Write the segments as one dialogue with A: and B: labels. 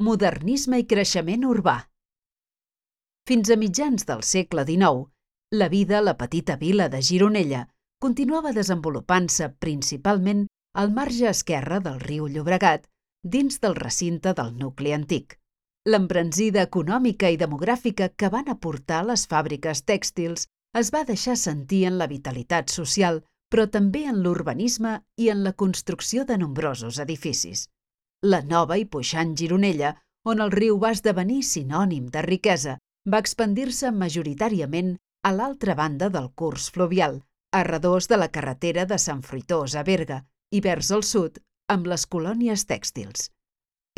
A: Modernisme i creixement urbà. Fins a mitjans del segle XIX, la vida a la petita vila de Gironella continuava desenvolupant-se principalment al marge esquerre del riu Llobregat, dins del recinte del nucli antic. L'embranzida econòmica i demogràfica que van aportar les fàbriques tèxtils es va deixar sentir en la vitalitat social, però també en l'urbanisme i en la construcció de nombrosos edificis. La nova i puixant Gironella, on el riu va esdevenir sinònim de riquesa, va expandir-se majoritàriament a l'altra banda del curs fluvial, a redós de la carretera de Sant Fruitós a Berga, i vers el sud, amb les colònies tèxtils.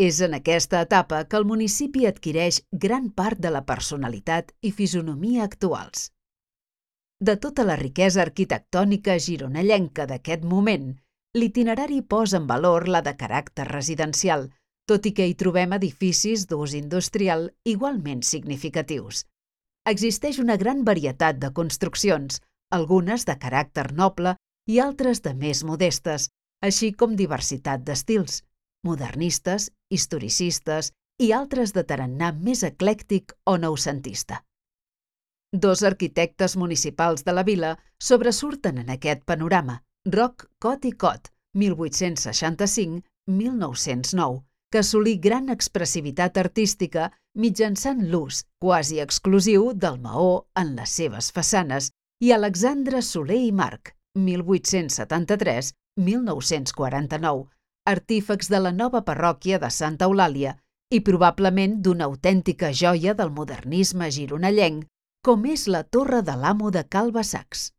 A: És en aquesta etapa que el municipi adquireix gran part de la personalitat i fisonomia actuals. De tota la riquesa arquitectònica gironellenca d'aquest moment, l'itinerari posa en valor la de caràcter residencial, tot i que hi trobem edificis d'ús industrial igualment significatius. Existeix una gran varietat de construccions, algunes de caràcter noble i altres de més modestes, així com diversitat d'estils, modernistes, historicistes i altres de tarannà més eclèctic o noucentista. Dos arquitectes municipals de la vila sobresurten en aquest panorama, Roc, Cot i Cot, 1865-1909, que assolí gran expressivitat artística mitjançant l'ús quasi exclusiu del maó en les seves façanes, i Alexandre Soler i March, 1873-1949, artífex de la nova parròquia de Santa Eulàlia i probablement d'una autèntica joia del modernisme gironellenc, com és la Torre de l'Amo de Cal Basacs.